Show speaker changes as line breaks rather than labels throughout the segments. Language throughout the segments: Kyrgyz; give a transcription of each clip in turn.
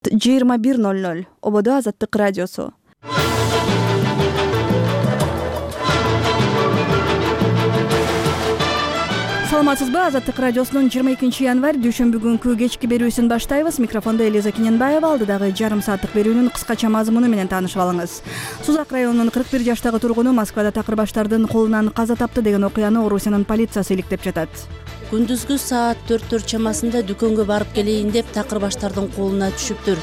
21:00 Ободо Азаттык радиосу. Саламатсызбы? Азаттык радиосунун 22 январь дүйшөмбү күнкү кечки берүүсүн баштайбыз. Микрофондо Элиза Кененбаева, алдыдагы жарым сааттык берүүнүн кыскача мазмуну менен таанышып алыңыз. Сузак районунун 41 жаштагы тургуну Москвада такырбаштардын колунан каза тапты деген окуяны Орусиянын полициясы иликтеп жатат.
Күндүзгү саат 4 чамасында дүкөнгө барып келейин деп такырбаштардын колуна түшүптүр.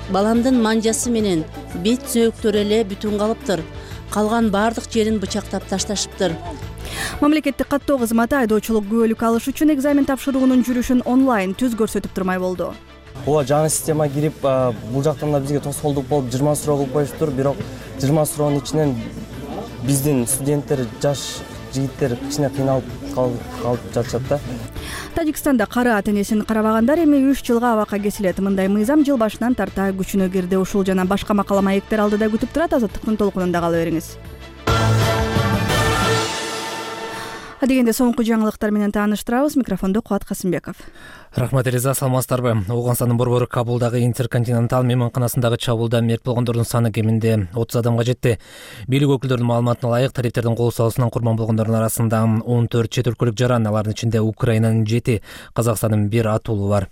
Баламдын манжасы менен бет сөөктөрү эле бүтүн калыптыр. Калган баардык жерин бычактап ташташыптыр.
Мамлекеттик каттоо кызматы айдоочулук күбөлүк алыш үчүн экзамен тапшыруунун жүрүшүн онлайн түз көрсөтүп турмай болду.
Ооба, жаңы система кирип, бул жактан да бизге тоскоолдук болуп 20 суроо кылып коюштур. Бирок 20 суроонун ичинен биздин студенттер, жаш жигиттер кичине кыйналып калып жатышат да.
Тажикстанда кары ата-энесин карабагандар эми 3 жылга абакка кесилет. Мындай мыйзам жыл башынан тарта күчүнө кирди. Ушул жана башка макала маектер алдыда күтүп турат. Азаттыктын толкунунда кала бериңиз. Дегенде соңку жаңылыктар менен тааныштырабыз. Микрофондо Кубат Касымбеков.
Рахмат Элиза, саламатсыздарбы? Ооганстандын борбору Кабулдагы Интерконтинентал мейманканасындагы чабуулда мерт болгондордун саны кеминде 30 адамга жетти. Бийлик өкүлдөрүнүн маалыматына ылайык, талиптердин кол салуусунан курман болгондордун арасында 14 чет өлкөлүк жаран, алардын ичинде Украинанын 7, Казакстандын 1 атуулу бар.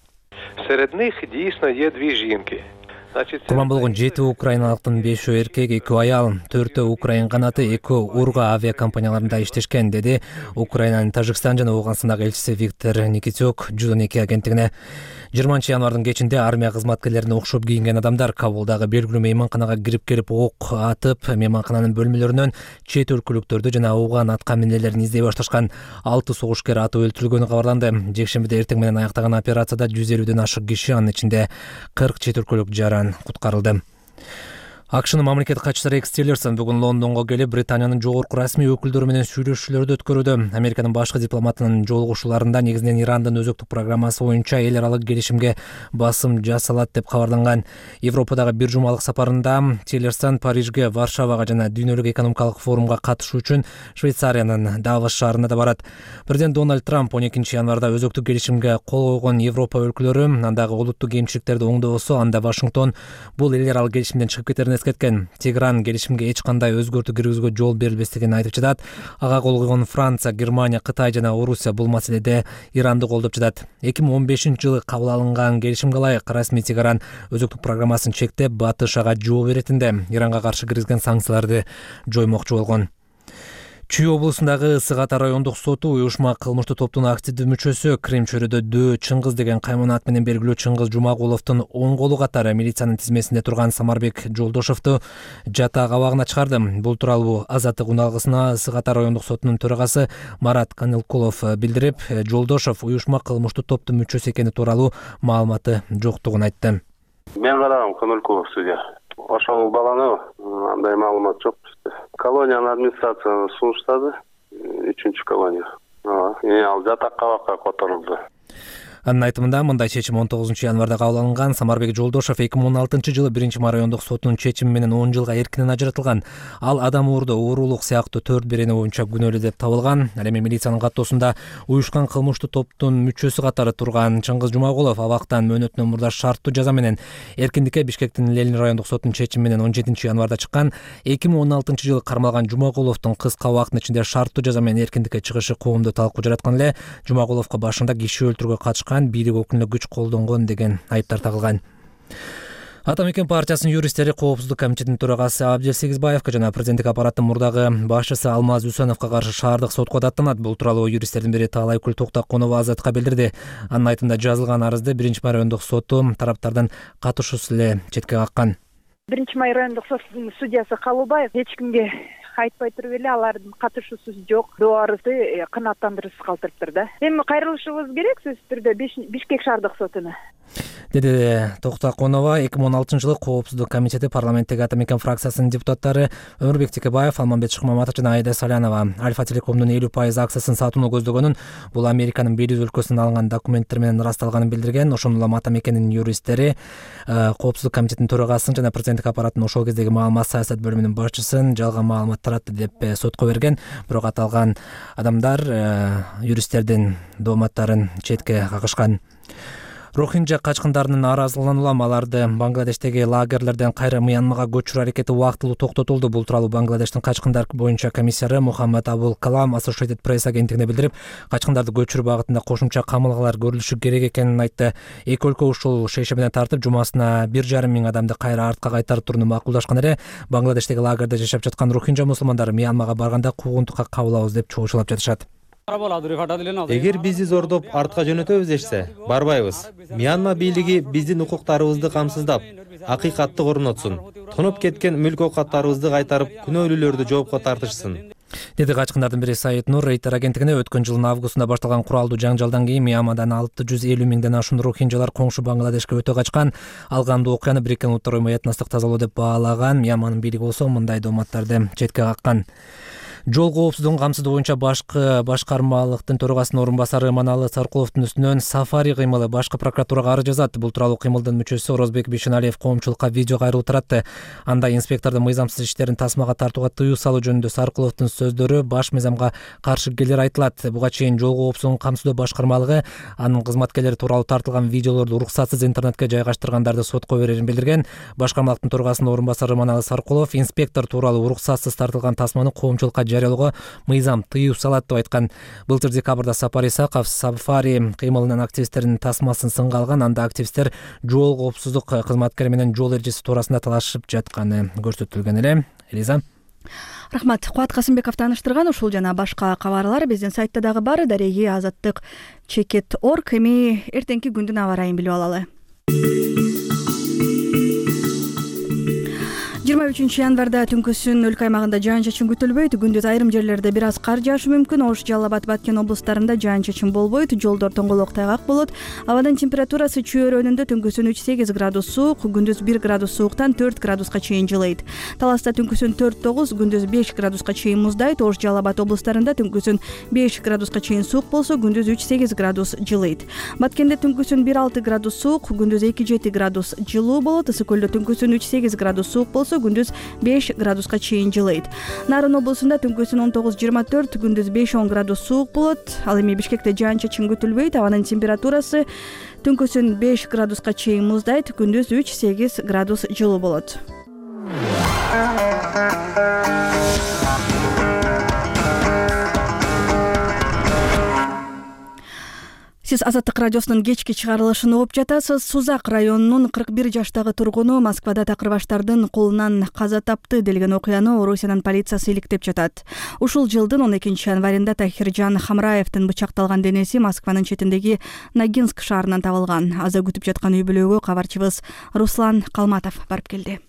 Среди них действительно есть две жинки.
Курман болгон 7 украиналыктын 5 эркек, 2 аял, 4 украин канаты, 2 Урга авиакомпанияларында иштешкен, деди Украинанын Тажикстан жана Ооганстандагы элчиси Виктор Никитюк Жудонеки агенттигине. 20 январдын кечинде армия кызматкерлерине окшоп кийинген адамдар Кабулдагы белгилүү мейманканага кирип келип ок атып, мейманкананын бөлмөлөрүнөн чет өлкөлүктөрдү жана ауган атка минелерин издей башташкан. 6 согушкер атып өлтүрүлгөнү кабарланды. Жекшембиде эртең менен аяктаган операцияда 150ден ашык киши, анын ичинде 40 чет өлкөлүк жаран куткарылды. АКШнын мамлекеттик катчысы Рекс Тиллерсон бүгүн Лондонго келип, Британиянын жогорку расмий өкүлдөрү менен сүйлөшүүлөрдү өткөрүүдө. Американын башкы дипломатынын жолугушууларында негизинен Ирандын өзөктүк программасы боюнча эл аралык келишимге басым жасалат деп кабарланган. Европадагы бир жумалык сапарында Тиллерсон Парижге, Варшавага жана дүйнөлүк экономикалык форумга катышуу үчүн Швейцариянын Давос шаарына да барат. Президент Дональд Трамп 12 январда өзөктүк келишимге кол койгон Европа өлкөлөрү андагы улуттук кемчиликтерди оңдобосо, анда Вашингтон бул эл аралык келишимден чыгып кетерин кеткен. Тегеран келишимге эч кандай өзгөртүү киргизүүгө жол берилбестигин айтып жатат. Ага кол койгон Франция, Германия, Кытай жана Орусия бул маселеде Иранды колдоп жатат. 2015-жылы кабыл алынган келишимге ылайык расмий Тегеран өзөктүк программасын чектеп, Батыш ага жооп беретинде Иранга каршы киргизген санкцияларды жоймокчу болгон. Чүй облусундагы Ысык Ата райондук соту уюшма кылмыштуу топтун активдүү мүчөсү Крим чөйрөдө Дөө Чыңгыз деген кайман ат менен белгилүү Чыңгыз Жумагуловдун оң колу катары милициянын тизмесинде турган Самарбек Жолдошовду жатак абагына чыгарды. Бул тууралуу Азаттык уналгысына Ысык Ата райондук сотунун төрагасы Марат Канылкулов билдирип, Жолдошов уюшма кылмыштуу топтун мүчөсү экени тууралуу маалыматы жоктугун айтты.
Мен карагам, Канылкулов судья. Ошол баланы андай маалымат жок. Колониянын администрациясына сунуштады, 3-чү колония. Ал жатак абакка которулду.
Анын айтымында мындай чечим 19 январда кабыл алынган. Самарбек Жолдошов 2016-жылы 1-ма райондук сотунун чечими менен 10 жылга эркинен ажыратылган. Ал адам уурдоо, уурулук сыяктуу 4 берени боюнча күнөөлүү деп табылган. Ал эми милициянын каттоосунда уюшкан кылмыштуу топтун мүчөсү катары турган Чыңгыз Жумагулов абактан мөөнөтүнөн мурда шарттуу жаза менен эркиндикке Бишкектин Ленин райондук сотунун чечими менен 17 январда чыккан. 2016-жылы кармалган Жумагуловдун кыска убакыттын ичинде шарттуу жаза менен эркиндикке чыгышы коомду талкуу жараткан эле. Жумагуловго башында киши өлтүрүүгө катышкан, бийлик өкүлүнө күч колдонгон деген айыптар тагылган. Ата Мекен партиясынын юристтери Коопсуздук комитетинин төрагасы Абдел Сегизбаевка жана президенттик аппараттын мурдагы башчысы Алмаз Үсөновго каршы шаардык сотко даттанат. Бул тууралуу юристтердин бири Таалайкүл Токтоконова Азатка билдирди. Анын айтымында жазылган арызды 1-ма райондук соту тараптардын катышуусу эле четке каккан.
1-ма райондук соттун судьясы Калыбаев эч кимге айтпай туруп эле алардын катышуусу жок доо арызды канааттандыруусуз калтырыптыр да. Эми кайрылышыбыз керек сөзсүз түрдө Бишкек шаардык сотуна.
деди Токтоконова. 2016-жылы Коопсуздук комитети парламенттеги Ата Мекен фракциясынын депутаттары Өмүрбек Текебаев, Алмамбет Шыкмаматов жана Айда Салянова Альфа Телекомдун 50% акциясын сатууну көздөгөнүн, бул Американын Белиз өлкөсүнөн алынган документтер менен ырасталганын билдирген. Ошондой эле Ата Мекенин юристтери Коопсуздук комитетинин төрагасын жана президенттик аппараттын ошол кездеги маалымат саясат бөлүмүнүн башчысын жалган маалымат таратты деп сотко берген. Бирок аталган адамдар юристтердин дооматтарын четке какышкан. Рохинджа качкындарынын нааразылыгынан улам аларды Бангладештеги лагерлерден кайра Мьянмага көчүрүү аракети убактылуу токтотулду. Бул тууралуу Бангладештин качкындар боюнча комиссары Мухаммад Абул Калам Associated Press агенттигине билдирип, качкындарды көчүрүү багытында кошумча камылгалар көрүлүшү керек экенин айтты. Эки өлкө ушул шешим менен тартып, жумасына 1,5 миң адамды кайра артка кайтарып турууну макулдашкан эле. Бангладештеги лагерде жашап жаткан рохинджа мусулмандары Мьянмага барганда куугунтукка кабылабыз деп чогушулап жатышат.
Эгер бизди зордоп артка жөнөтөбүз дешсе, барбайбыз. Мьянма бийлиги биздин укуктарыбызды камсыздап, акыйкатты орнотсун. Тонуп кеткен мүлк оокаттарыбызды кайтарып, күнөөлүүлөрдү жоопко тартышсын,
деди качкындардын бири Саид Нур. Рейтер агенттигине өткөн жылдын августунда башталган куралдуу жаңжалдан кийин Мьянмадан 650 миңден ашуун рохинджалар коңшу Бангладешке өтө качкан. Алгандуу окуяны Бириккен Улуттар Уюму этностук тазалоо деп баалаган. Мьянманын бийлиги болсо мындай дооматтарды четке каккан. Жол коопсуздугун камсыздоо боюнча башкармалыктын төрагасынын орун басары Маналы Саркуловдун үстүнөн сафари кыймылы башкы прокуратурага арыз жазат. Бул тууралуу кыймылдын мүчөсү Орозбек Бишеналиев коомчулукка видео кайрылуу таратты. Анда инспектордун мыйзамсыз иштерин тасмага тартууга тыюу салуу жөнүндө Саркуловдун сөздөрү баш мыйзамга каршы келери айтылат. Буга чейин жол коопсуздугун камсыздоо башкармалыгы анын кызматкерлери тууралуу тартылган видеолорду уруксатсыз интернетке жайгаштыргандарды сотко берерин билдирген. Башкармалыктын төрагасынын орун басары Маналы Саркулов инспектор тууралуу уруксатсыз тартылган тасманы коомчулукка жарыялоого мыйзам тыюу салат деп айткан. Былтыр декабрда Сапар Исаков сафари кыймылынын активисттеринин тасмасын сынга алган. Анда активисттер жол коопсуздук кызматкери менен жол эрежеси туурасында талашып жатканы көрсөтүлгөн эле. Элиза.
Рахмат. Кубат Касымбеков тааныштырган. Ушул жана башка кабарлар биздин сайтта дагы бар. Дареги Азаттык Чекет.org. Эми эртеңки күндүн аба ырайын билип алалы. 23 январда түнкүсүн өлкө аймагында жаан-чачын күтүлбөйт. Күндүз айрым жерлерде бир аз кар жаашы мүмкүн. Ош, Жалал Абад, Баткен облустарында жаан-чачын болбойт. Жолдор тоңголок тайгак болот. Абадын температурасы чөйрөнүндө түнкүсүн 3-8 градус суук, күндүз 1 градус сууктан 4 градуска чейин жылыйт. Таласта түнкүсүн 4-9, күндүз 5 градуска чейин муздайт. Ош, Жалал Абад облустарында түнкүсүн 5 градуска чейин суук болсо, күндүз 3-8 градус жылыйт. Баткенде түнкүсүн 1-6 градус суук, күндүз 2-7 градус жылуу болот. Ысык көлдө түнкүсүн 3-8 градус суук болсо, күндүз 5 градуска чейин жылыйт. Нарын облусунда түнкүсүн 19-24, күндүз 5-10 градус суук болот. Ал эми Бишкекте жаан-чачын күтүлбөйт. Абанын температурасы түнкүсүн 5 градуска чейин муздайт, күндүз 3-8 градус жылуу болот. Сиз Азаттык радиосунун кечки чыгарылышын угуп жатасыз. Сузак районунун 41 жаштагы тургуну Москвада такырбаштардын колунан каза тапты делген окуяны Орусиянын полициясы иликтеп жатат. Ушул жылдын 12 январында Тахиржан Хамраевдин бычакталган денеси Москванын четиндеги Ногинск шаарынан табылган. Аза күтүп жаткан үй бүлөгө кабарчыбыз Руслан Калматов барып келди.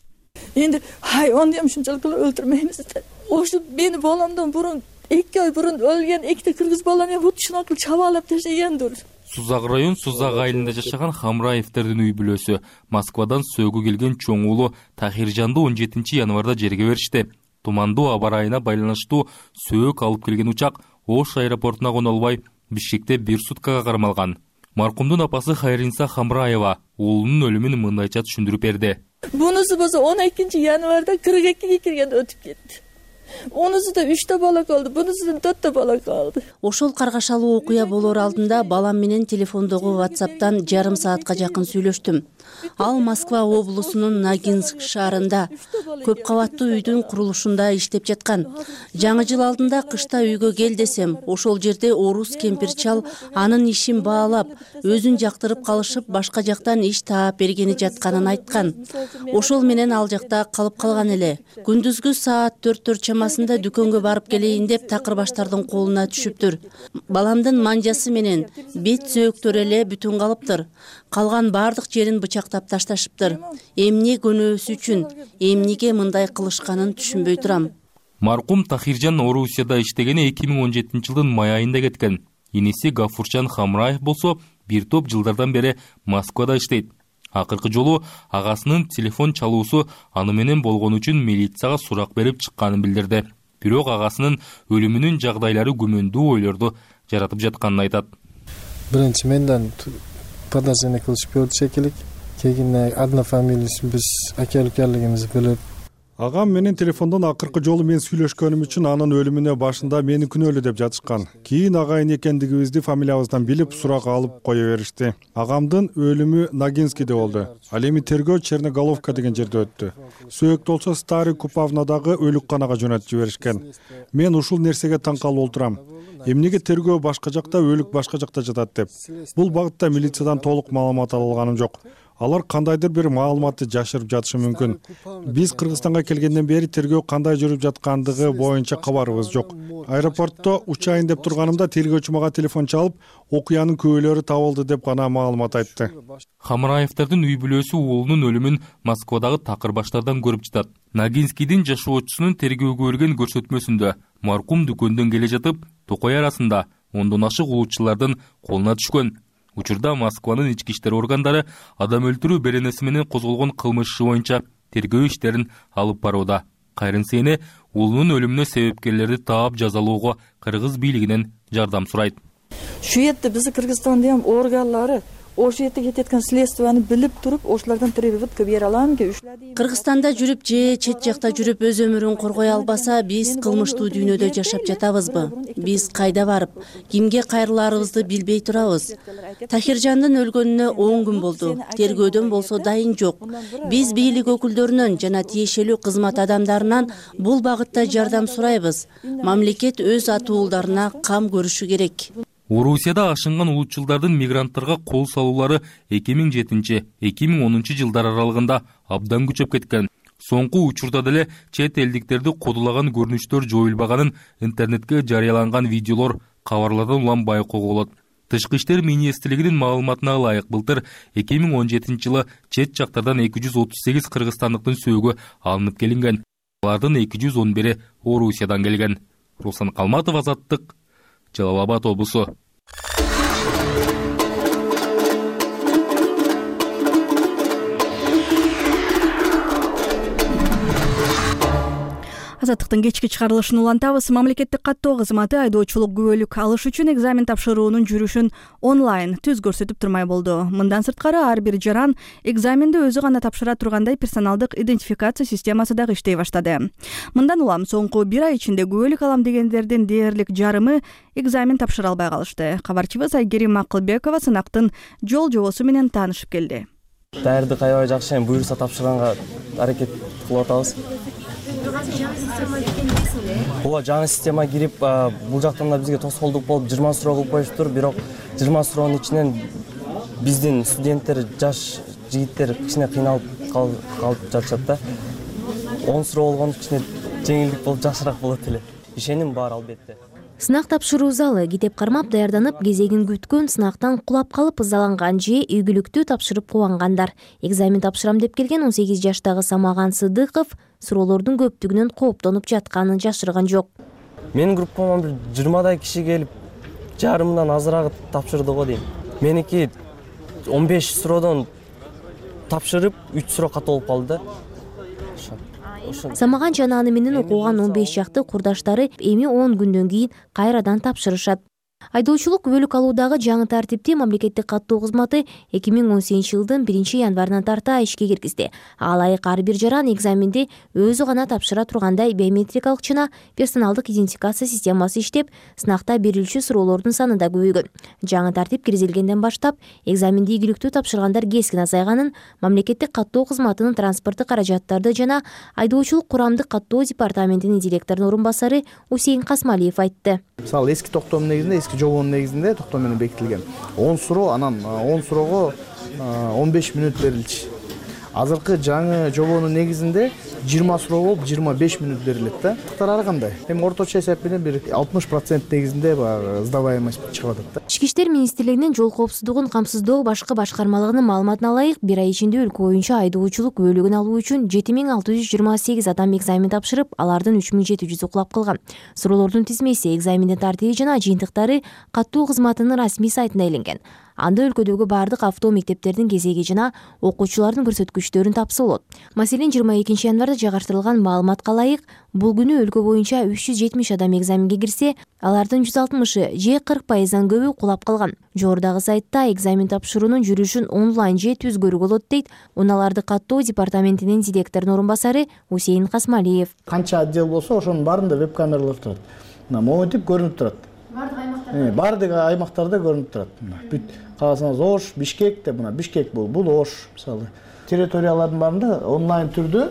Эndi hayvanды ham shunchalik o'ldirmaymiz. O'sha meni bolamdan burun 2 oy burun o'lgan ikkita kırgız balani bu shunaqa chavalab tashlagandir.
Сузак район Сузак айылында жашаган Хамраевдердин үй бүлөсү Москвадан сөөгү келген чоң уулу Тахиржанды 17 январда жерге беришти. Тумандуу аба ырайына байланыштуу сөök алып келген учак Ош аэропортуна коно албай Бишкекте 1 суткага кармалган. Маркумдун апасы Хайринса Хамраева уулунун өлүмүн мындайча түшүндүрүп берди.
Bunisi болсо 12 январда 42 киргенде өтүп кетти. Онусуда 3 бала калды, бунусудан 4 бала калды.
Ошол каргашалуу окуя болор алдында балам менен телефондогу WhatsApp'тан жарым саатка жакын сүйлөштүм. Ал Москва облусунун Ногинск шаарында көп кабаттуу үйдүн курулушунда иштеп жаткан. Жаңы жыл алдында кышта үйгө кел десем, ошол жерде орус кемпир-чал анын ишин баалап, өзүн жактырып калышып, башка жактан иш таап бергени жатканын айткан. Ошол менен ал жакта калып калган эле. Күндүзгү саат 4 чамасында дүкөнгө барып келейин деп такырбаштардын колуна түшүптүр. Баламдын манжасы менен бет сөөктөрү эле бүтүн калыптыр. Калган бардык жерин бычактап ташташыптыр. Эмне көнөөсү үчүн, эмнеге мындай кылышканын түшүнбөй турам.
Маркум Тахиржан Орусияда иштегени 2017 жылдын май айында кеткен. Иниси Гафурчан Хамраев болсо бир топ жылдардан бери Москвада иштейт. Акыркы жолу агасынын телефон чалуусу аны менен болгон үчүн милицияга сурак берип чыкканын билдирди. Бирок агасынын өлүмүнүн жагдайлары күмөндүү ойлорду жаратып жатканын айтат.
Биринчи менден подозрение кылышып көрдү шекелик. Кийин однофамилийлүү биз аке-укалыгыбызды билип,
Агам менен телефондон акыркы жолу мен сүйлөшкөнүм үчүн анын өлүмүнө башында мени күнөөлүү деп жатышкан. Кийин агайын экендигибизди фамилиябыздан билип сурак алып кое беришти. Агамдын өлүмү Ногинскийде болду. Ал эми тергөө Черноголовка деген жерде өттү. Сөөктү болсо Старый Купавнадагы өлүкканага жөнөтүп жиберишкен. Мен ушул нерсеге таң калып отурам. Эмнеге тергөө башка жакта, өлүк башка жакта жатат деп. Бул багытта милициядан толук маалымат ала алганым жок. Алар кандайдыр бир маалыматты жашырып жатышы мүмкүн. Биз Кыргызстанга келгенден бери тергөө кандай жүрүп жаткандыгы боюнча кабарыбыз жок. Аэропортто учайын деп турганымда тергөөчү мага телефон чалып, окуянын күбөлөрү табылды деп гана маалымат айтты.
Хамраевдардын үй бүлөсү уулунун өлүмүн Москвадагы такыр баштардан көрүп жатат. Ногинскийдин жашоочусунун тергөөгө берген көрсөтмөсүндө маркум дүкөндөн келе жатып, токой арасында 10дон ашык улутчулардын колуна түшкөн. Учурда Москванын ички иштер органдары адам өлтүрүү беренеси менен козголгон кылмыш иши боюнча тергөө иштерин алып барууда. Кайрын Сейне уулунун өлүмүнө себепкерлерди таап жазалоого кыргыз бийлигинен жардам сурайт.
Şu yerде биздин Кыргызстандын органдары ошол жерде кететкан следствияны билип туруп, ошолордон требовать бере аламынбы?
Кыргызстанда жүрүп же чет жакта жүрүп өз өмүрүн коргой албаса, биз кылмыштуу дүйнөдө жашап жатабызбы? Биз кайда барып, кимге кайрыларыбызды билбей турабыз. Тахиржандын өлгөнүнө 10 күн болду. Тергөөдөн болсо дайын жок. Биз бийлик өкүлдөрүнөн жана тиешелүү кызмат адамдарынан бул багытта жардам сурайбыз. Мамлекет өз атуулдарына кам көрүшү керек.
Орусияда ашынган улутчулдардын мигранттарга кол салуулары 2007-2010 жылдар аралыгында абдан күчөп кеткен. Соңку учурда деле чет элдиктерди кодулаган көрүнүштөр жоюлбаганын интернетке жарыяланган видеолор кабарлардан улам байкоого болот. Тышкы иштер министрлигинин маалыматына ылайык былтыр 2017 жылы чет жактардан 238 кыргызстандыктын сөөгү алынып келинген. Алардын 211 Орусиядан келген. Руслан Калматов, Азаттык, Жалал Абад облусу.
Азаттыктын кечки чыгарылышын улантабыз. Мамлекеттик каттоо кызматы айдоочулук күбөлүк алыш үчүн экзамен тапшыруунун жүрүшүн онлайн түз көрсөтүп турмай болду. Мындан сырткары ар бир жаран экзаменди өзү гана тапшыра тургандай персоналдык идентификация системасы дагы иштей баштады. Мындан улам соңку 1 ай ичинде күбөлүк алам дегендердин дээрлик жарымы экзамен тапшыра албай калышты. Кабарчыбыз Айгерим Акылбекова сынактын жол жобосу менен таанышып келди.
Даярдык аябай жакшы, буюрса тапшырганга аракет кылып атабыз. Ооба, жаңы система кирип, бул жактан да бизге тоскоолдук болуп 20 суроо кылып коюштур, бирок 20 суроонун ичинен биздин студенттер, жаш жигиттер кичине кыйналып калып жатышат да. 10 суроо болгон үчүн жеңилдик болуп жакшыраак болот эле. Ишеним бар албетте.
Сынак тапшыруу залы китеп кармап даярданып, кезегин күткөн, сынактан кулап калып ызаланган же ийгиликтүү тапшырып кубангандар. Экзамен тапшырам деп келген 18 жаштагы Самаган Сыдыков суроолордун көптүгүнөн кооптонуп жатканын жашырган жок.
Менин группама бир 20дай киши келип, жарымдан азыраак тапшырды го дейм. Меники 15 суроодон тапшырып, 3 суроо ката болуп калды да.
Самаган жана аны менен окуган 15 жакты курдаштары эми 10 күндөн кийин кайрадан тапшырышат. Айдоочулук күбөлүк алуудагы жаңы тартипти мамлекеттик каттоо кызматы 2018 жылдын 1 январынан тарта ишке киргизди. Ага ылайык ар бир жаран экзаменди өзү гана тапшыра тургандай биометрикалык жана персоналдык идентификация системасы иштеп, сынакта берилчү суроолордун саны да көбөйгөн. Жаңы тартип киргизилгенден баштап экзаменди ийгиликтүү тапшыргандар кескин азайганын мамлекеттик каттоо кызматынын транспорттук каражаттарды жана айдоочулук курамдык каттоо департаментинин директорунун орун басары Усейин Касмалиев айтты.
Мисалы эски токтом негизинде, эски жобонун негизинде токтом менен бекитилген 10 суроо, анан 10 суроого 15 мүнөт берилчү. Азыркы жаңы жобонун негизинде 20 суроо болуп 25 мүнөт берилет да. Ар кандай. Эми орточо эсеп менен бир 60% негизинде сдаваемость чыгып атат да.
Ички иштер министрлигинин жол коопсуздугун камсыздоо башкы башкармалыгынын маалыматына ылайык, 1 ай ичинде өлкө боюнча айдоочулук күбөлүгүн алуу үчүн 7628 адам экзамен тапшырып, алардын 3700 кулап калган. Суроолордун тизмеси, экзамендин тартиби жана жыйынтыктары каттоо кызматынын расмий сайтында иленген. Анда өлкөдөгү бардык авто мектептердин кезеги жана окуучулардын көрсөткүчтөрүн тапса болот. Маселен 22 январда жайгаштырылган маалыматка ылайык, бул күнү өлкө боюнча 370 адам экзаменге кирсе, алардын 160-ы же 40%дан көбү кулап калган. Жогорудагы сайтта экзамен тапшыруунун жүрүшүн онлайн же түзгөрү болот дейт унааларды каттоо департаментинин директорунун орун басары Усейин Касмалиев.
Канча отдел болсо ошонун баарында веб камералар турат. Монитип көрүнүп турат. Бардык аймактарда көрүнүп турат. Бүт кааласаңыз Ош, Бишкек деп, Бишкек бул Ош мисалы. Территориялардын баарында онлайн түрдө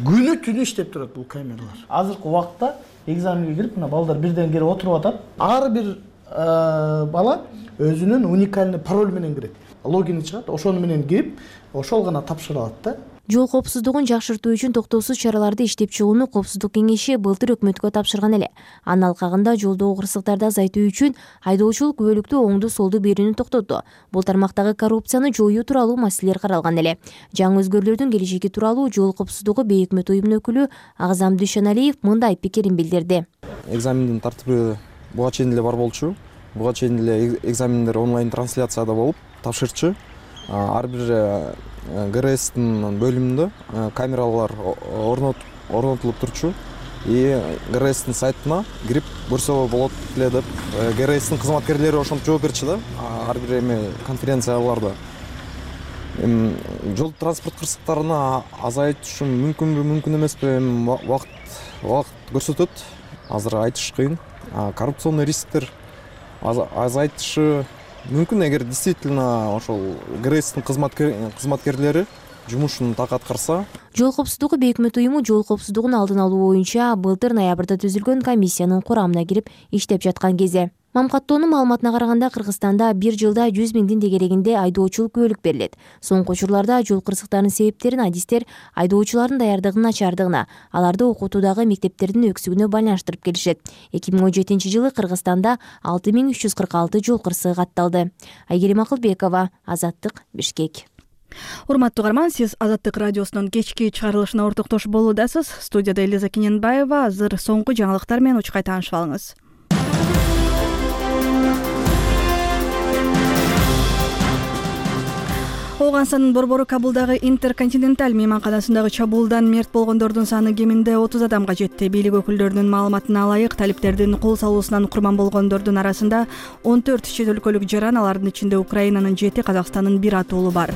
күнү түнү иштеп турат бул камералар. Азыркы убакта экзаменге кирип, балдар бирден келип отуруп атат. Ар бир бала өзүнүн уникальный пароль менен кирет. Логин чыгат, ошону менен кирип, ошол гана тапшыра алат да.
Жол коопсуздугун жакшыртуу үчүн токтоосуз чараларды иштеп чыгууну Коопсуздук кеңеши былтыр өкмөткө тапшырган эле. Анын алкагында жолдогу кырсыктарды азайтуу үчүн айдоочулук күбөлүктүү оңду солду берүүнү токтотту. Бул тармактагы коррупцияны жоюу тууралуу маселелер каралган эле. Жаңы өзгөрүүлөрдүн келечеги тууралуу Жол коопсуздугу бейөкмөт уюмунун өкүлү Агзам Дүйшөналиев мындай пикирин билдирди.
Экзамендин тартиби буга чейин эле бар болчу. Буга чейин эле экзамендер онлайн трансляцияда болуп, тапшырчу ар бир ГРСтин бөлүмүндө камералар орнотулуп турчу. ГРСтин сайтына кирип көрсө болот эле деп ГРСтин кызматкерлери ошентип жооп берчү да. Ар бир конференцияларда жол транспорт кырсыктарына азайтышы мүмкүнбү, мүмкүн эмеспи, убакыт көрсөтөт. Азыр айтыш кыйын. Коррупционный рисктер азайтышы мүмкүн, эгер действительно ошол ГРСтин кызматкерлери жумушун так аткарса.
Жол коопсуздугу бейөкмөт уюму жол коопсуздугун алдын алуу боюнча былтыр ноябрда түзүлгөн комиссиянын курамына кирип иштеп жаткан кезде. Мамкаттоонун маалыматына караганда Кыргызстанда бир жылда 100 миңдин тегерегинде айдоочулук күбөлүк берилет. Соңку учурларда жол кырсыктарынын себептерин адистер айдоочулардын даярдыгынын начардыгына, аларды окутуудагы мектептердин өксүгүнө байланыштырып келишет. 2017 жылы Кыргызстанда 6346 жол кырсыгы катталды. Айгерим Акылбекова, Азаттык, Бишкек.
Урматтуу угарман, сиз Азаттык радиосунун кечки чыгарылышына ортоктошуп болуудасыз. Студияда Элиза Кененбаева. Азыр соңку жаңылыктар менен учкай таанышып алыңыз. Оганстандын борбору Кабулдагы Интерконтиненталь мейманканасындагы чабуулдан мерт болгондордун саны кеминде 30 адамга жетти. Бийлик өкүлдөрүнүн маалыматына ылайык, талиптердин кол салуусунан курман болгондордун арасында 14 чет өлкөлүк жаран, алардын ичинде Украинанын 7, Казакстандын 1 атуулу бар.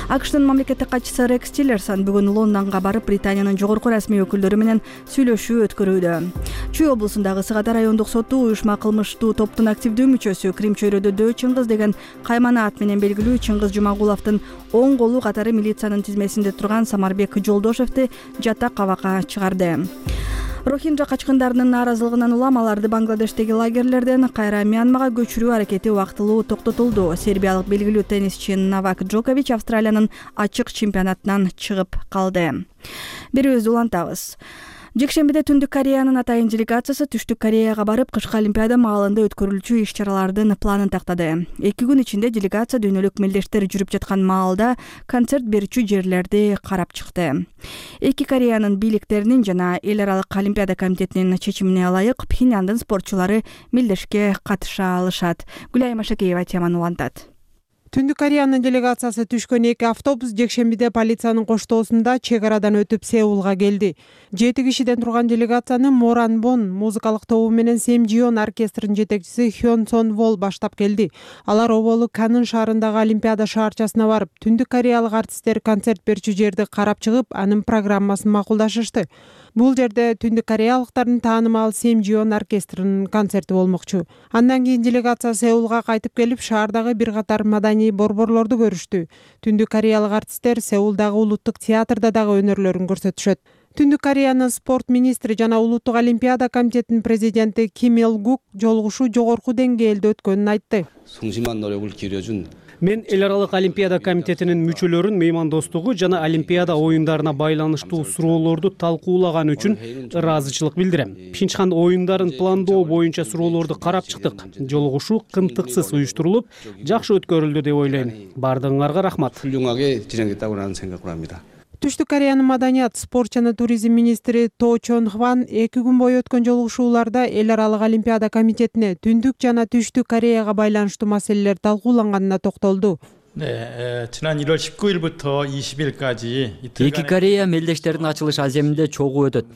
АКШтын мамлекеттик катчысы Рекс Тиллерсон бүгүн Лондонго барып, Британиянын жогорку расмий өкүлдөрү менен сүйлөшүү өткөрүүдө. Чүй облусундагы Сыгата райондук соту уюшма кылмыштуу топтун активдүү мүчөсү, Крим чөйрөдө Дөө Чыңгыз деген каймана ат менен белгилүү Чыңгыз Жумагуловдун оң колу катары милициянын тизмесинде турган Самарбек Жолдошевди жатак кабакка чыгарды. Рохинджа качкындарынын нааразылыгынан улам аларды Бангладештеги лагерлерден кайра Мьянмага көчүрүү аракети убактылуу токтотулду. Сербиялык белгилүү теннисчи Новак Джокович Австралиянын ачык чемпионатынан чыгып калды. Берүүбүздү улантабыз. Жекшембиде Түндүк Кореянын атайын делегациясы Түштүк Кореяга барып, кышкы Олимпиада маалында өткөрүлчү иш-чаралардын планын тактады. 2 күн ичинде делегация дүйнөлүк мелдештер жүрүп жаткан маалда концерт берүүчү жерлерди карап чыкты. Эки Кореянын бийликтеринин жана эл аралык Олимпиада комитетинин чечимине ылайык Пхеньяндын спортчулары мелдешке катыша алышат. Гүлайым Ашакеева теманы улантат.
Түндүк Кореянын делегациясы түшкөн 2 автобус жекшембиде полициянын коштоосунда чек арадан өтүп Сеулга келди. 7 кишиден турган делегацияны Моранбон музыкалык тобу менен Семжион оркестринин жетекчиси Хён Сон Вол баштап келди. Алар оболу Канын шаарындагы Олимпиада шаарчасына барып, Түндүк Кореялык артисттер концерт берүүчү жерди карап чыгып, анын программасын макулдашышты. Бул жерде Түндүк Кореялыктардын таанымал Семжион оркестринин концерти болмокчу. Андан кийин делегация Сеулга кайтып келип, шаардагы бир катар маданий борборлорду көрүштү. Түндүк Кореялык артисттер Сеулдагы улуттук театрда дагы өнөрлөрүн көрсөтүшөт. Түндүк Кореянын спорт министри жана улуттук Олимпиада комитетинин президенти Ким Ил Гук жолугушуу жогорку деңгээлде өткөнүн айтты.
Мен эл аралык Олимпиада комитетинин мүчөлөрүн меймандостугу жана Олимпиада оюндарына байланыштуу суроолорду талкуулаган үчүн ыраазычылык билдирем. Пхенчхан оюндарын пландоо боюнча суроолорду карап чыктык. Жолугушуу кынтыксыз уюштурулуп, жакшы өткөрүлдү деп ойлойм. Бардыгыңарга рахмат.
Түштүк Кореянын маданият, спорт жана туризм министри То Чон Хван 2 күн бою өткөн жолугушууларда эл аралык Олимпиада комитетине Түндүк жана Түштүк Кореяга байланыштуу маселелер талкууланганына токтолду.
지난 1월 19일부터 20일까지
Эки Корея мелдештердин ачылыш аземинде чогуу өтөт.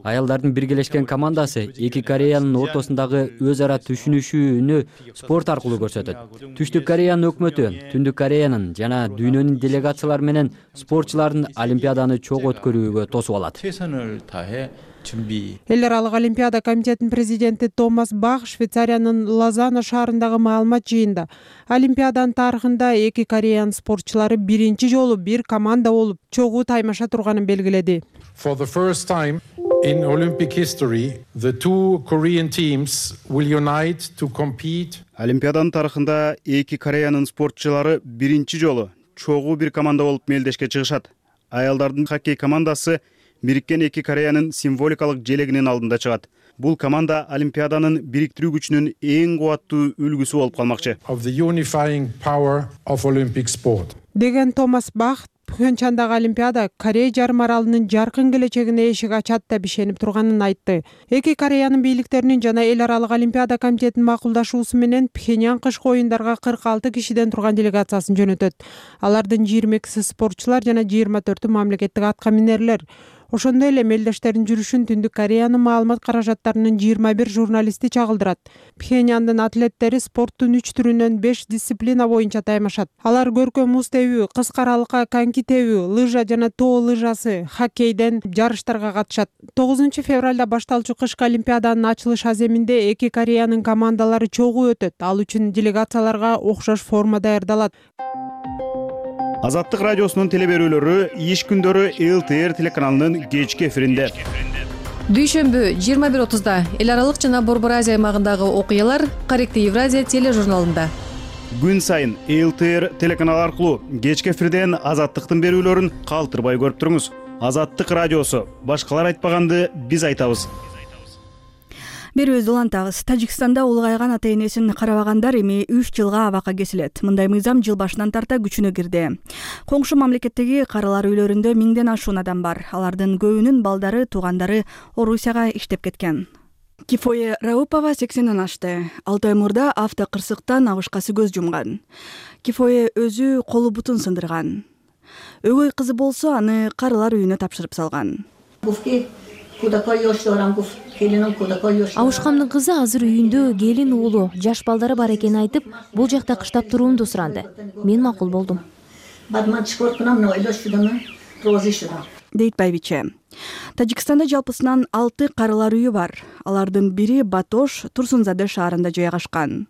Аялдардын биргелешкен командасы Эки Кореянын ортосундагы өз ара түшүнүшүүнү спорт аркылуу көрсөтөт. Түштүк Кореянын өкмөтү Түндүк Кореянын жана дүйнөнүн делегациялары менен спортчулардын Олимпиаданы чогуу өткөрүүгө тосуп алат.
Эл аралык Олимпиада комитетинин президенти Томас Бах Швейцариянын Лозанна шаарындагы маалымат жыйында Олимпиаданын тарыхында Эки Кореянын спортчулары биринчи жолу бир команда болуп чогуу таймаша турганын белгиледи.
For the first time in Olympic history, the two Korean teams will unite to compete.
Олимпиаданын тарыхында Эки Кореянын спортчулары биринчи жолу чогуу бир команда болуп мелдешке чыгышат. Аялдардын хоккей командасы Бириккен Эки Кореянын символикалык желегинин алдында чыгат. Бул команда Олимпиаданын бириктирүү күчүнүн эң кубаттуу үлгүсү болуп калмакчы.
Of the unifying power of Olympic sport.
Деген Томас Бах Пхенчандагы Олимпиада Корея жарым аралынын жаркын келечегине эшик ачат деп ишенип турганын айтты. Эки Кореянын бийликтеринин жана эл аралык Олимпиада комитетинин макулдашуусу менен Пхеньян кышкы оюндарга 46 кишиден турган делегациясын жөнөтөт. Алардын 22 спортчулар жана 24 мамлекеттик атка минерлер. Ошондой эле мелдештердин жүрүшүн Түндүк Кореянын маалымат каражаттарынын 21 журналисти чагылдырат. Пхеньяндын атлеттери спорттун 3 түрүнөн 5 дисциплина боюнча таймашат. Алар көркөм муз тебүү, кыска аралыкка коньки тебүү, лыжа жана тоо лыжасы, хоккейден жарыштарга катышат. 9 февралда башталчу кышкы Олимпиаданын ачылыш аземинде Эки Кореянын командалары чогуу өтөт. Ал үчүн делегацияларга окшош форма даярдалат.
Азаттык радиосунун телеберүүлөрү иш күндөрү ЛТР телеканалынын кечки эфиринде.
Дүйшөмбү 21:30да эл аралык жана Борбор Азия аймагындагы окуялар Корректив Евразия тележурналында.
Күн сайын ЛТР телеканалы аркылуу кечки эфирден Азаттыктын берүүлөрүн калтырбай көрүп туруңуз. Азаттык радиосу. Башкалар айтпаганды биз айтабыз.
Берүүбүздү улантабыз. Тажикстанда улгайган ата энесин карабагандар эми 3 жылга абакка кесилет. Мындай мыйзам жыл башынан тарта күчүнө кирди. Коңшу мамлекеттеги каралар үйлөрүндө 1000ден ашуун адам бар. Алардын көбүнүн балдары, туугандары Орусияга иштеп кеткен. Кифое Раупова 80ден ашты. 6 ай мурда автокырсыктан абышкасы көз жумган. Кифое өзү колу бутун сындырган. Өгөй кызы болсо аны каралар үйүнө тапшырып салган.
Абышкамдын кызы азыр үйүндө келин уулу, жаш балдары бар экенин айтып, бул жакта кыштап туруумду суранды. Мен макул болдум.
Дейт байбиче. Тажикстанда жалпысынан 6 каралар үйү бар. Алардын бири Батош, Турсунзаде шаарында жайгашкан.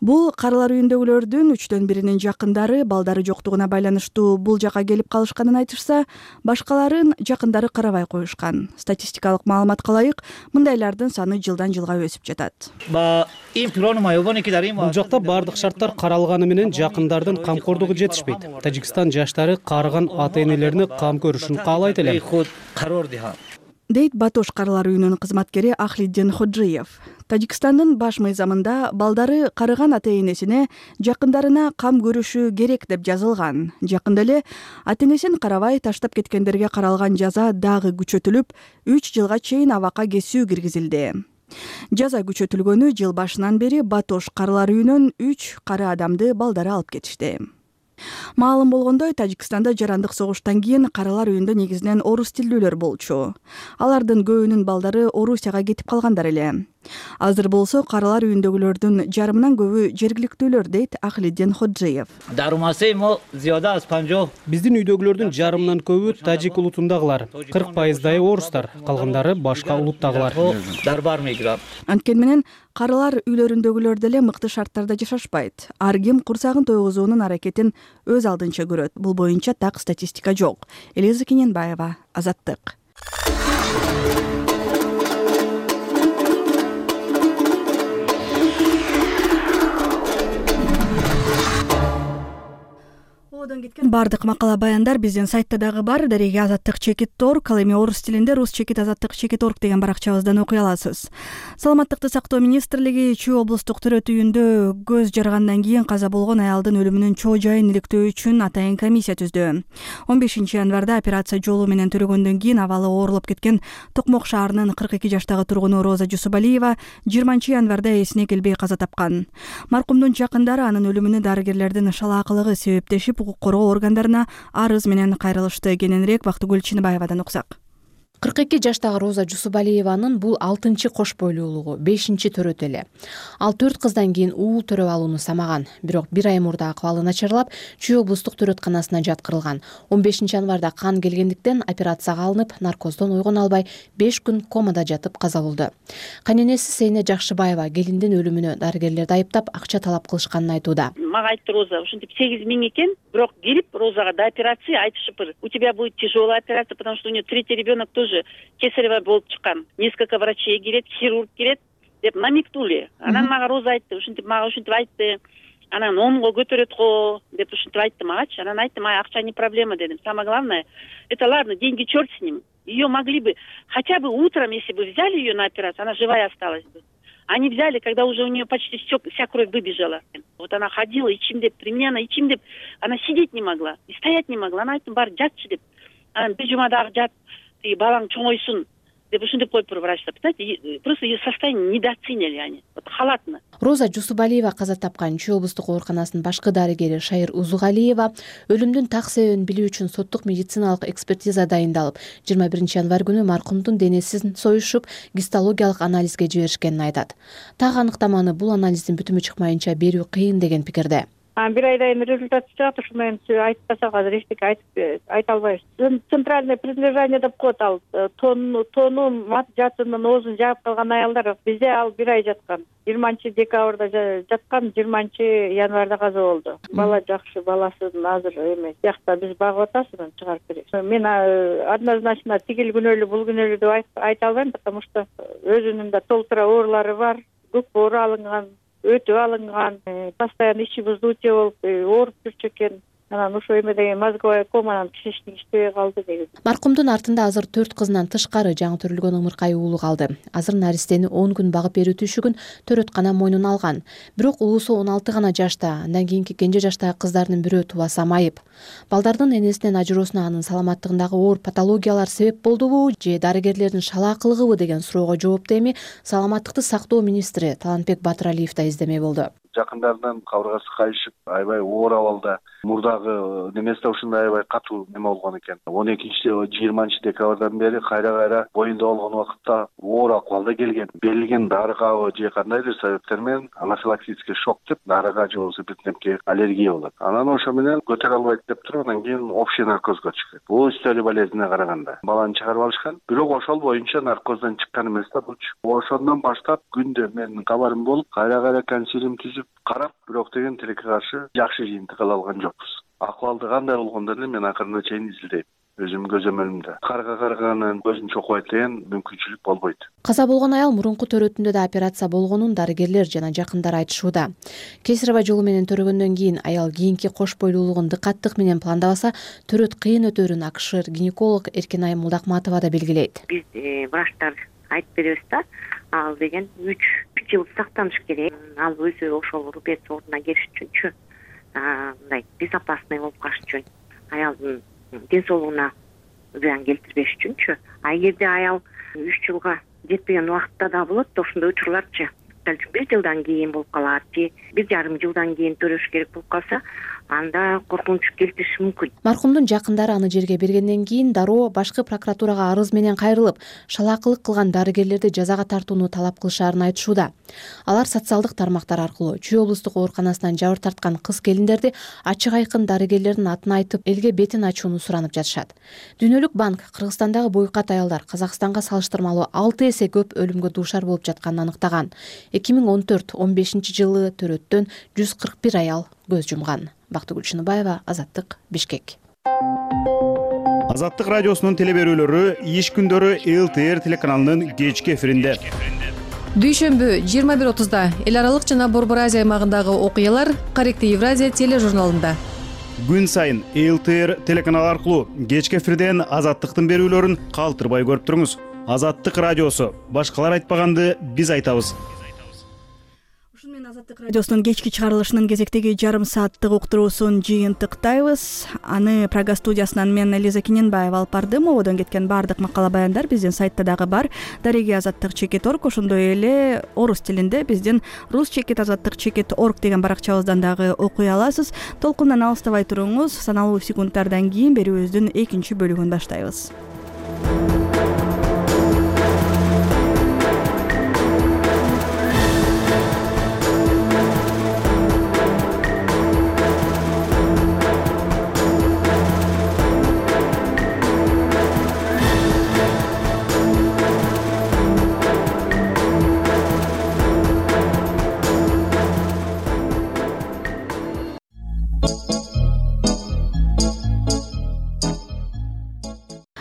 Бул каралар үйүндөгүлөрдүн 3төн биринин жакындары балдары жоктугуна байланыштуу бул жака келип калышканын айтышса, башкаларын жакындары карабай коюшкан. Статистикалык маалыматка ылайык, мындайлардын саны жылдан жылга өсүп жатат.
Бул жакта бардык шарттар каралганы менен жакындардын камкордугу жетишпейт. Тажикстан жаштары карыган ата энелерине кам көрүшүн каалайт эле.
Дейт Батош каралар үйүнүнүн кызматкери Ахлиддин Ходжиев. Тажикстандын баш мыйзамында балдары карыган ата энесине жакындарына кам көрүшү керек деп жазылган. Жакында эле ата энесин карабай таштап кеткендерге каралган жаза дагы күчөтүлүп, 3 жылга чейин абакка кесүү киргизилди. Жаза күчөтүлгөнү жыл башынан бери Батош каралар үйүнөн 3 кары адамды балдары алып кетишти. Маалым болгондой, Тажикстанда жарандык согуштан кийин каралар үйүндө негизинен орус тилдүүлөр болчу. Алардын көбүнүн балдары Орусияга кетип калгандар эле. Азыр болсо каралар үйүндөгүлөрдүн жарымынан көбү жергиликтүүлөр, дейт Ахлиддин Ходжиев.
Биздин үйдөгүлөрдүн жарымынан көбү тажик улутундагылар, 40% орустар, калгандары башка улуттагылар.
Анткени менен каралар үйлөрүндөгүлөр деле мыкты шарттарда жашашпайт. Ар ким курсагын тойгузуунун аракетин өз алдынча көрөт. Бул боюнча так статистика жок. Элиза Кененбаева, Азаттык. Чогуудон кеткен баардык макала баяндар биздин сайтта дагы бар. Дареги azattik.org, ал эми орус тилинде rus.azattik.org деген баракчабыздан окуй аласыз. Саламаттыкты сактоо министрлиги Чүй облустук төрөт үйүндө көз жаргандан кийин каза болгон аялдын өлүмүнүн чоо жайын иликтөө үчүн атайын комиссия түздү. 15 январда операция жолу менен төрөгөндөн кийин абалы оорлоп кеткен Токмок шаарынын 42 жаштагы тургуну Роза Жусубалиева 20 январда эсине келбей каза тапкан. Маркумдун жакындары анын өлүмүнө дарыгерлердин шалаакылыгы себептешип, укук коргоо органдарына арыз менен кайрылышты. Кененирээк Бактыгүл Чыныбаевадан уксак.
42 жаштагы Роза Жусубалиеванын бул 6-чы кош бойлуулугу, 5-чи төрөт эле. Ал 4 кыздан кийин уул төрөп алууну самаган, бирок 1 ай мурда акыбалы начарлап, Чүй облустук төрөтканасына жаткырылган. 15 январда кан келгендиктен операцияга алынып, наркоздон ойгон албай 5 күн комада жатып каза болду. Кайненеси Сейне Жакшыбаева келиндин өлүмүнө дарыгерлерди айыптап, акча талап кылышканын айтууда.
Мага айтты Роза, ушинтип 8 миң экен, бирок келип Розага до операции айтышыпыр. У тебя будет тяжелая операция, потому что у нее 3-й ребенок тоже кесарево болуп чыккан. Несколько врачей келет, хирург келет деп намектули. Анан мага Роза айтты, ушинтип айтты. Анан омго көтөрөт го деп ушинтип айтты магачы. Анан айттым, акча не проблема дедим. Самое главное, это ладно, деньги черт с ним. Ее могли бы хотя бы утром, если бы взяли ее на операцию, она живая осталась бы. Они взяли, когда уже у нее почти вся кровь выбежала. Вот она ходила, ичимдеп, при мне она ичимдеп, она сидеть не могла, и стоять не могла. Она айттым, бар жатчы деп. Анан бижумадагы жат, балаң чоңойсун деп ушинтип коюптур врачтар. Понимаете, просто ее состояние недооценили они. Вот халатно.
Роза Жусубалиева каза тапкан Чүй облустук ооруканасынын башкы дарыгери Шайыр Узугалиева өлүмдүн так себебин билүү үчүн соттук медициналык экспертиза дайындалып, 21 январь күнү маркумдун денесин союшуп, гистологиялык анализге жиберишкенин айтат. Так аныктаманы бул анализдин бүтүмү чыкмайынча берүү кыйын деген пикирде.
1 айдан результат чыгат, ошондон кийин айтпасак азыр эчтеке айта албайбыз. Центральное прилежание деп коет ал. Тону мат жатынын оозун жаап калган аялдар. Бизде ал 1 ай жаткан. 20 декабрда жаткан, 20 январда каза болду. Бала жакшы, баласын азыр эме биякта биз багып атасыз, чыгарып беребиз. Мен однозначно тигил күнөөлүү, бул күнөөлүү деп айта албайм, потому что өзүнүн да толтура оорулары бар, көк боору алынган, өтүп алынган, постоянно ичи вздутие болуп, ооруп жүрчү экен. Анан ошо эмеден мозговая команан кишиштик иштебей калды негизи.
Маркумдун артында азыр 4 кызынан тышкары жаңы төрөлгөн ымыркай уулу калды. Азыр наристени 10 күн багып берүү түшүгүн төрөткана мойнуна алган. Бирок уулусу 16 гана жашта, андан кийинки кенже жаштагы кыздардын бирөө тубаса майып. Балдардын энесинен ажыроосуна анын саламаттыгындагы оор патологиялар себеп болдубу же дарыгерлердин шалаакылыгыбы деген суроого жоопту эми саламаттыкты сактоо министри Талантбек Батыралиев да издемей болду.
Жакындарынан кабыргасы кайышып, аябай оор абалда, мурдагы неместе ушундай аябай катуу неме болгон экен. 12-20 декабрдан бери кайра боюнда болгон убакытта оор акыбалда келген. Берилген дары кабы же кандайдыр себептер менен анафилактический шок деп дарыга же болбосо бирдемке аллергия болот. Анан ошо менен көтөрө албайт деп туруп, анан кийин общий наркозго чыкты. Бул история болезнине караганда баланы чыгарып алышкан. Бирок ошол боюнча наркоздон чыккан эмес да булчу. Ошондон баштап күндө менин кабарым болуп, кайра консилиум түзүп карап, бирок деген тилекке каршы жакшы жыйынтык ала алган жокпуз. Акыбалды кандай болгондорун мен акырына чейин изилдейм. Өзүм көзөмөлүмдө карга карганын көзүн чокпойт деген мүмкүнчүлүк болбойт.
Каза болгон аял мурунку төрөтүндө да операция болгонун дарыгерлер жана жакындары айтышууда. Кесарево жолу менен төрөгөндөн кийин аял кийинки кош бойлуулугун дыкаттык менен пландабаса, төрөт кыйын өтөрүн акышыр гинеколог Эркинай Мулдакматова да белгилейт.
Биз врачтар айтып беребиз да, ал деген 3 жыл сактаныш керек. Ал өзү ошол рубец ордуна келиш үчүнчү, мындай безопасный болуп калыш үчүн, аялдын ден соолугуна зыян келтирбеш үчүнчү. А эгерде аял 3 жылга жетпеген убакытта да болот, ошондой учурларчы. 1 жылдан кийин болуп калат же 1,5 жылдан кийин төрөш керек болуп калса, анда коркунуч келтириши мүмкүн.
Маркумдун жакындары аны жерге бергенден кийин дароо башкы прокуратурага арыз менен кайрылып, шалаакылык кылган дарыгерлерди жазага тартууну талап кылышаарын айтышууда. Алар социалдык тармактар аркылуу Чүй облустук ооруканасынан жабыр тарткан кыз келиндерди ачык айкын дарыгерлердин атын айтып, элге бетин ачууну суранып жатышат. Дүйнөлүк банк Кыргызстандагы бойкат аялдар Казакстанга салыштырмалуу 6 эсе көп өлүмгө дуушар болуп жатканын аныктаган. 2014-15 жылы төрөттөн 141 аял көз жумган. Бактыгүл Чыныбаева, Азаттык, Бишкек.
Азаттык радиосунун телеберүүлөрү иш күндөрү ЛТР телеканалынын кечки эфиринде.
Дүйшөмбү 21:30 эл аралык жана Борбор Азия аймагындагы окуялар Корректив Евразия тележурналында.
күн сайын ЛТР телеканалы аркылуу кечки эфирден Азаттыктын берүүлөрүн калтырбай көрүп туруңуз. Азаттык радиосу. Башкалар айтпаганды биз айтабыз. Азаттык радиосунун кечки чыгарылышынын кезектеги жарым сааттык уктуруусун жыйынтыктайбыз. Аны Прага студиясынан мен Элиза Киненбаева алып бардым. Ободон кеткен баардык макала баяндар биздин сайтта дагы бар. Дареги азаттык чекит.орг, ошондой эле орус тилинде биздин рус чекит азаттык чекит.орг деген баракчабыздан дагы окуй аласыз. Толкундан алыстабай туруңуз. Саналуу секундтардан кийин берүүбүздүн экинчи бөлүгүн баштайбыз.